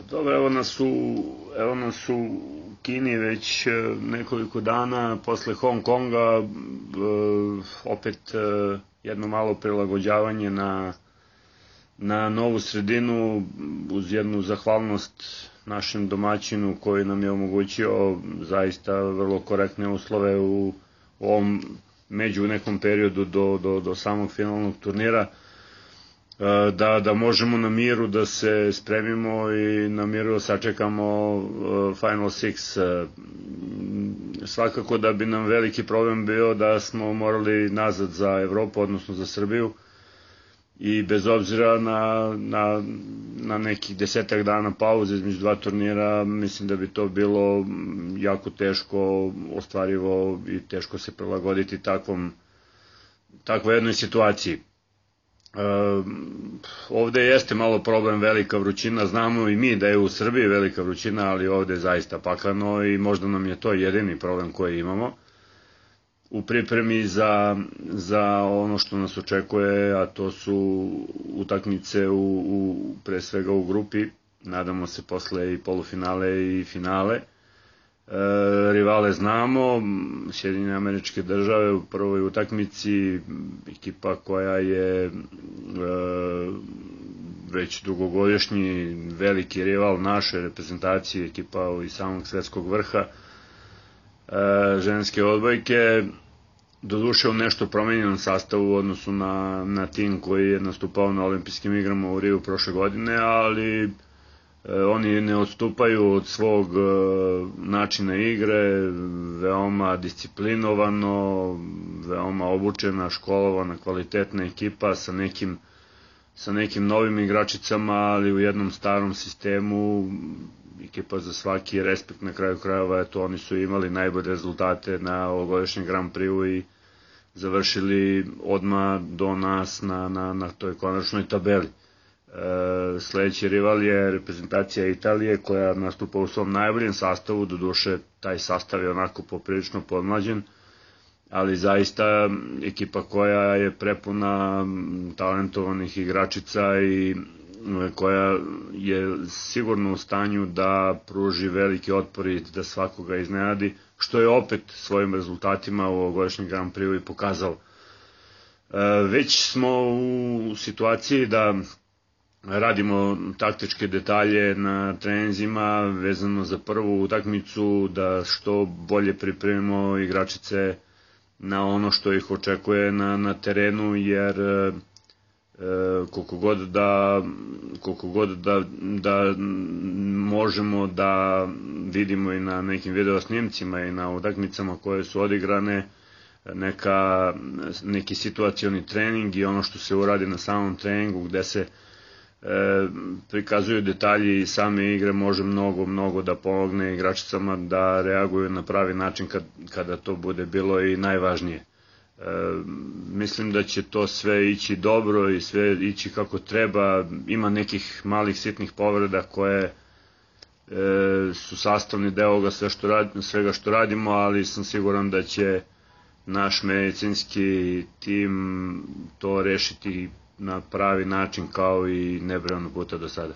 Dobro, evo nas u Kini već nekoliko dana posle Hong Konga, opet jedno malo prilagođavanje na novu sredinu, uz jednu zahvalnost našem domaćinu koji nam je omogućio zaista vrlo korektne uslove u ovom među nekom periodu do samog finalnog turnira, da možemo na miru da se spremimo i na miru da sačekamo Final Six. Svakako da bi nam veliki problem bio da smo morali nazad za Evropu, odnosno za Srbiju, i bez obzira na nekih 10 dana pauze između dva turnira, mislim da bi to bilo jako teško ostvarivo i teško se prilagoditi takvoj jednoj situaciji. Ovde jeste malo problem velika vrućina, znamo i mi da je u Srbiji velika vrućina, ali ovde je zaista pakleno i možda nam je to jedini problem koji imamo u pripremi za ono što nas očekuje, a to su utakmice pre svega u grupi, nadamo se posle i polufinale i finale. Rivale znamo, Sjedinjene Američke Države u prvoj utakmici, ekipa koja je već dugogodišnji veliki rival naše reprezentacije, ekipa iz samog svetskog vrha ženske odbojke, doduše u nešto promenjenom sastavu u odnosu na tim koji je nastupao na olimpijskim igrama u Riju prošle godine, ali oni ne odstupaju od svog načina igre, veoma disciplinovano, veoma obučena, školovana, kvalitetna ekipa sa nekim novim igračicama, ali u jednom starom sistemu, ekipa za svaki respekt na kraju krajeva. Eto, oni su imali najbolje rezultate na ovogodišnjem Grand Prix i završili odmah do nas na toj konačnoj tabeli. Sledeći rival je reprezentacija Italije, koja nastupa u svom najboljem sastavu, doduše taj sastav je onako poprilično podmlađen, ali zaista ekipa koja je prepuna talentovanih igračica i koja je sigurno u stanju da pruži veliki otpor i da svakoga iznenadi, što je opet svojim rezultatima u ovogodišnjem Grand Prix i pokazalo. Već smo u situaciji da radimo taktičke detalje na treninzima vezano za prvu utakmicu, da što bolje pripremimo igračice na ono što ih očekuje na terenu, jer koliko god da možemo da vidimo i na nekim video snimcima i na utakmicama koje su odigrane neki situacioni trening i ono što se uradi na samom treningu gde se prikazuju detalji i same igre, može mnogo da pomogne igračicama da reaguju na pravi način kada to bude bilo i najvažnije. Mislim da će to sve ići dobro i sve ići kako treba. Ima nekih malih sitnih povreda koje su sastavni deo svega što radimo, ali sam siguran da će naš medicinski tim to rešiti na pravi način kao i nebrojano puta do sada.